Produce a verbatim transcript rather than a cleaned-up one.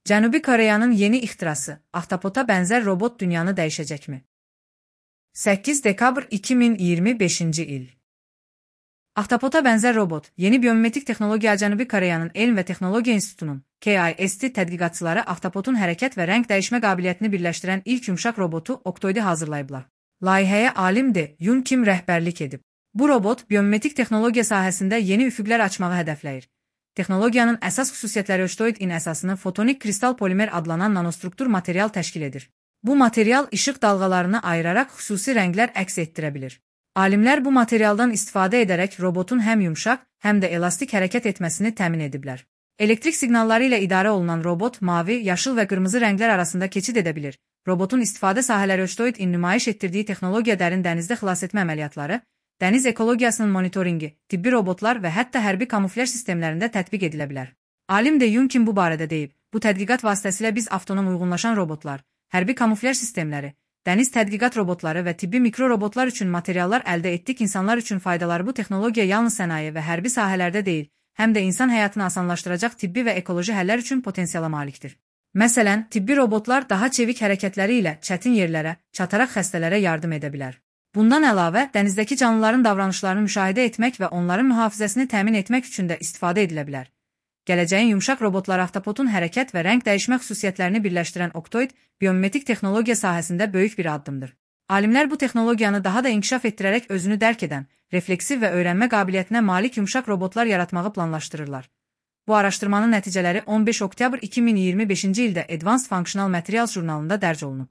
Cənubi Koreyanın yeni ixtirası, ahtapota bənzər robot dünyanı dəyişəcəkmi? səkkiz dekabr iki min iyirmi beşinci il. Ahtapota bənzər robot, yeni biomimetik texnologiya Cənubi Koreyanın Elm və Texnologiya İnstitutunun K I S T tədqiqatçıları ahtapotun hərəkət və rəng dəyişmə qabiliyyətini birləşdirən ilk yumşaq robotu Octoid'i hazırlayıblar. Layihəyə alim De Yun Kim rəhbərlik edib. Bu robot biomimetik texnologiya sahəsində yeni üfüqlər açmağı hədəfləyir. Texnologiyanın əsas xüsusiyyətləri Octoid-in əsasını fotonik kristal polimer adlanan nanostruktur material təşkil edir. Bu material işıq dalğalarını ayıraraq xüsusi rənglər əks etdirə bilir. Alimlər bu materialdan istifadə edərək robotun həm yumşaq, həm də elastik hərəkət etməsini təmin ediblər. Elektrik siqnalları ilə idarə olunan robot mavi, yaşıl və qırmızı rənglər arasında keçid edə bilir. Robotun istifadə sahələri Octoid-in nümayiş etdirdiyi texnologiya dərin dənizdə xilasetmə əməliyyatları, dəniz ekologiyasının monitoringi, tibbi robotlar və hətta hərbi kamuflyaj sistemlərində tətbiq edilə bilər. Alim De Yun Kim bu barədə deyib, bu tədqiqat vasitəsilə biz avtonom uyğunlaşan robotlar, hərbi kamuflyaj sistemləri, dəniz tədqiqat robotları və tibbi mikrorobotlar üçün materiallar əldə etdik. İnsanlar üçün faydaları bu texnologiya yalnız sənaye və hərbi sahələrdə deyil, həm də insan həyatını asanlaşdıracaq tibbi və ekoloji həllər üçün potensiala malikdir. Məsələn, tibbi robotlar daha çevik hərəkətləri ilə çətin yerlərə, çataraq xəstələrə yardım edə bilər. Bundan əlavə, dənizdəki canlıların davranışlarını müşahidə etmək və onların mühafizəsini təmin etmək üçün də istifadə edilə bilər. Gələcəyin yumşaq robotları ahtapotun hərəkət və rəng dəyişmə xüsusiyyətlərini birləşdirən Octoid, biomimetik texnologiya sahəsində böyük bir addımdır. Alimlər bu texnologiyanı daha da inkişaf etdirərək özünü dərk edən, refleksiv və öyrənmə qabiliyyətinə malik yumşaq robotlar yaratmağı planlaşdırırlar. Bu araşdırmanın nəticələri on beş oktyabr iki min iyirmi beşinci ildə Advanced Functional Materials jurnalında dərc olunub.